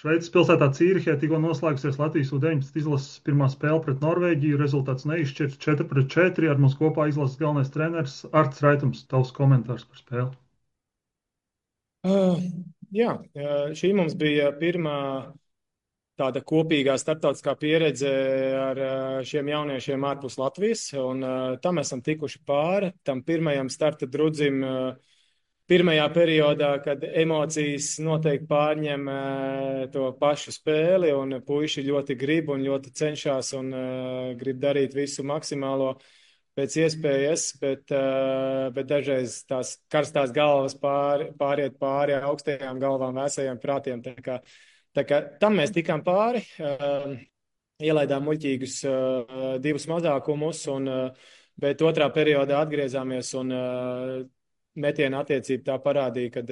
Šveices pilsētā Cīrihē tikko noslēgusies Latvijas U-19 izlases pirmā spēle pret Norvēģiju. Rezultāts neizšķirts 4-4. Ar mums kopā izlases galvenais treneris Arts Raitums. Tavs komentārs par spēli. Uh, jā, šī mums bija pirmā tāda kopīgā starptautiskā pieredze ar šiem jauniešiem ārpus Latvijas, un tam esam tikuši pāri, tam pirmajam starta drudzim, pirmajā periodā, kad emocijas noteikti pārņem to pašu spēli, un puiši ļoti grib un ļoti cenšas un grib darīt visu maksimālo pēc iespējas, bet dažreiz tās karstās galvas pāriet pāri augstajām galvām, vēsajiem prātiem. Tā kā tam mēs tikām pāri, ielaidām muļķīgus divus mazākumus, bet otrā periodā atgriezāmies un metiena attiecība tā parādīja, ka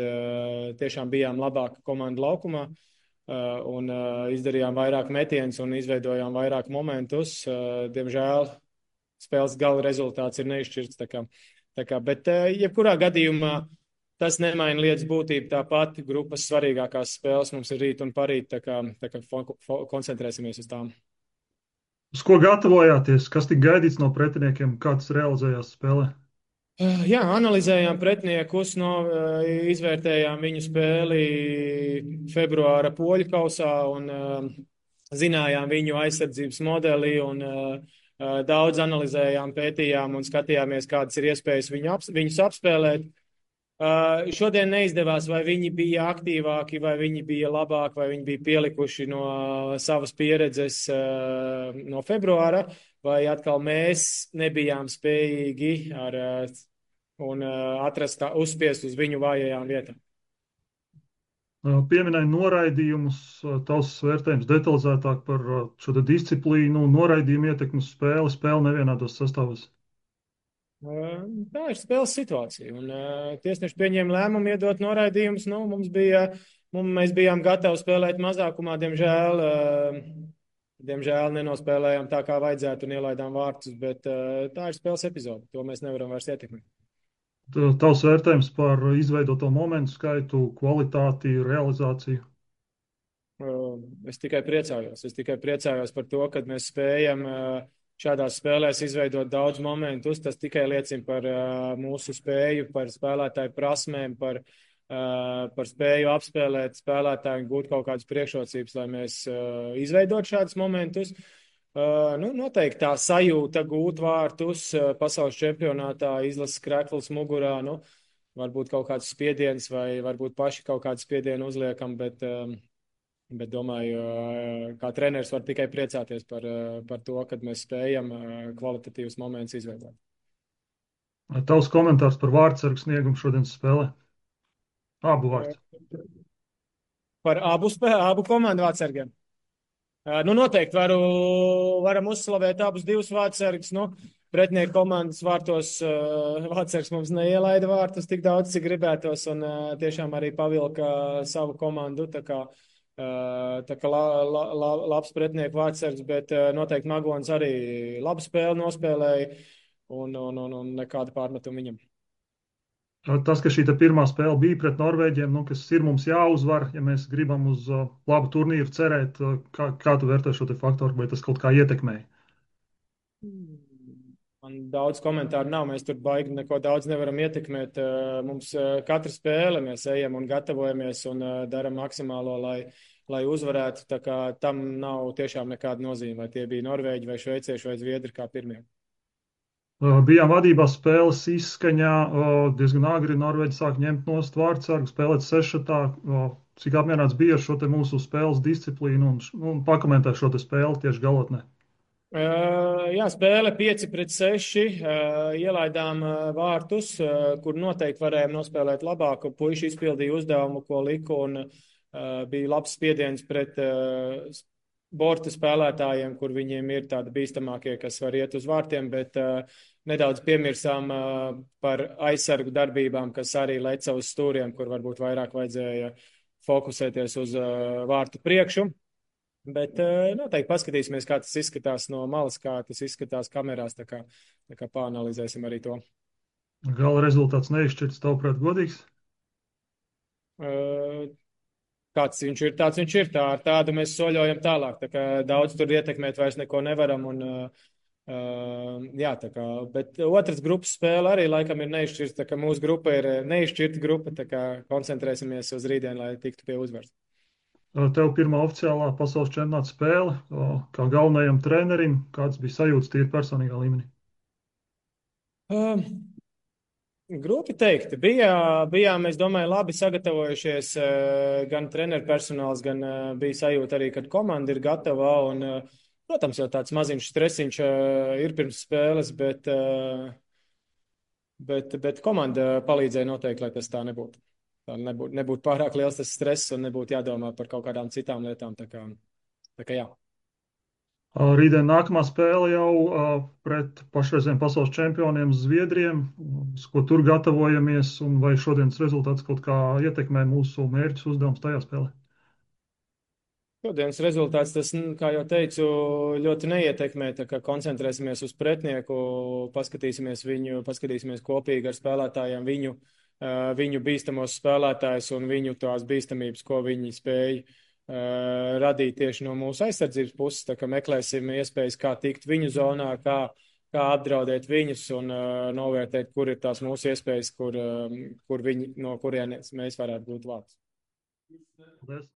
tiešām bijām labāka komanda laukumā un izdarījām vairāk metienus un izveidojām vairāk momentus. Diemžēl spēles gala rezultāts ir neizšķirts. Bet jebkurā gadījumā tas nemaina lietas būtību. Tāpat grupas svarīgākās spēles mums ir rīt un parīt, tā kā koncentrēsimies uz tām. Uz ko gatavojāties? Kas tika gaidīts no pretiniekiem? Kā tas realizējās spēlē? Jā, analizējām pretiniekus, izvērtējām viņu spēli februāra poļu kausā un zinājām viņu aizsardzības modeli un daudz analizējām, pētījām un skatījāmies, kādas ir iespējas viņus apspēlēt. Šodien neizdevās, vai viņi bija aktīvāki, vai viņi bija labāki, vai viņi bija pielikuši no savas pieredzes no februāra, vai atkal mēs nebijām spējīgi un atrast uzspiest uz viņu vājajām vietām. Pieminēja noraidījumus, tavs vērtējums detalizētāk par šo te disciplīnu, noraidījumu ietekmi uz spēli, spēli nevienādos sastāvos. Tā ir spēles situācija. Un, tiesneši pieņēma lēmumu iedot noraidījumus. Mēs bijām gatavi spēlēt mazākumā. Diemžēl nenospēlējām tā, kā vajadzētu, un ielaidām vārtus. Bet tā ir spēles epizode. To mēs nevaram vairs ietekmēt. Tavs vērtējums par izveidoto momentu skaitu, kvalitāti, realizāciju. Es tikai priecājos. Es tikai priecājos par to, ka mēs spējam šādās spēlēs izveidot daudz momentus. Tas tikai liecina par mūsu spēju, par spēlētāju prasmēm, par spēju apspēlēt spēlētāju un gūt kaut kādas priekšrocības, lai mēs izveidot šādus momentus. Noteikti tā sajūta gūt vārtus pasaules čempionātā, izlases krekls mugurā, varbūt kaut kāds spiediens vai varbūt paši kaut kādu spiedienu uzliekam, bet domāju, kā treneris var tikai priecāties par to, kad mēs spējam kvalitatīvus momentus izveidot. Tavs komentārs par vārdsargu sniegumu šodienas spēlē? Abu vārds. Par abu komandu vārdsargiem. Noteikti varam uzslavēt abus divus vārdsargus. Pretinieku komandas vārtos vārdsargs mums neielaida vārtus tik daudz, cik gribētos, un tiešām arī pavilka savu komandu. Tā kā labs pretinieku vārdsargs, bet noteikti Magons arī labu spēli nospēlēja un nekāda pārmetuma viņam. Tas, ka šī pirmā spēle bija pret Norvēģiem, kas ir mums jāuzvar, ja mēs gribam uz labu turnīru cerēt, kā tu vērtē šo faktoru, vai tas kaut kā ietekmēja? Man daudz komentāru nav, mēs tur baigi neko daudz nevaram ietekmēt. Mums katra spēle, mēs ejam un gatavojamies un daram maksimālo, lai uzvarētu. Tā kā tam nav tiešām nekāda nozīme, vai tie bija norvēģi vai šveicieši vai zviedri kā pirmie. Bijām vadībā spēles izskaņā, diezgan agri Norvēģi sāk ņemt nost vārdsargu, spēlēt sešatā. Cik apmierināts bija ar šo mūsu spēles disciplīnu un pakomentē šo spēli tieši galotnē? Jā, spēle 5-6, ielaidām vārtus, kur noteikti varējām nospēlēt labāk. Puiši izpildīja uzdevumu, ko liku, un bija labs spiediens pret borta spēlētājiem, kur viņiem ir tādi bīstamākie, kas var iet uz vārtiem, bet nedaudz piemirsām par aizsargu darbībām, kas arī leca uz stūriem, kur varbūt vairāk vajadzēja fokusēties uz vārtu priekšu. Bet noteikti paskatīsimies, kā tas izskatās no malas, kā tas izskatās kamerās, tā kā pāanalizēsim arī to. Gala rezultāts neizšķirts, tavuprāt, godīgs? kāds viņš ir, tāds viņš ir. Tā, ar tādu mēs soļojam tālāk. Tā kā daudz tur ietekmēt vairs neko nevaram. Un, jā, tā kā, bet otrs grupas spēle arī laikam ir neizšķirta. Tā kā mūsu grupa ir neizšķirta grupa, tā kā koncentrēsimies uz rītdienu, lai tiktu pie uzvaras. Tev pirmā oficiālā pasaules čempionāta spēle, kā galvenajam trenerim, kāds bija sajūtas tīri personīgā līmenī? Uh, Grūti teikt. Bijām, es domāju, labi sagatavojušies. Gan treneru personāls, gan bija sajūta arī, ka komanda ir gatava. Un, protams, jau tāds maziņš stresiņš ir pirms spēles, bet komanda palīdzēja noteikti, lai tas tā nebūtu. Tā nebūtu pārāk liels tas stress un nebūtu jādomā par kaut kādām citām lietām. Tā kā jā. Rītdien nākamā spēle jau pret pašreizējiem pasaules čempioniem Zviedriem, uz ko tur gatavojamies, un vai šodienas rezultāts kaut kā ietekmē mūsu mērķus uzdevums tajā spēlē? Šodienas rezultāts, tas, kā jau teicu, ļoti neietekmē, tā kā koncentrēsimies uz pretinieku, paskatīsimies kopīgi ar spēlētājiem viņu bīstamos spēlētājus un viņu tās bīstamības, ko viņi spēja radīt tieši no mūsu aizsardzības puses, tā kā meklēsim iespējas, kā tikt viņu zonā, kā apdraudēt viņus un novērtēt, kur ir tās mūsu iespējas, kur viņi, no kurienes mēs varētu būt vārds. Paldies!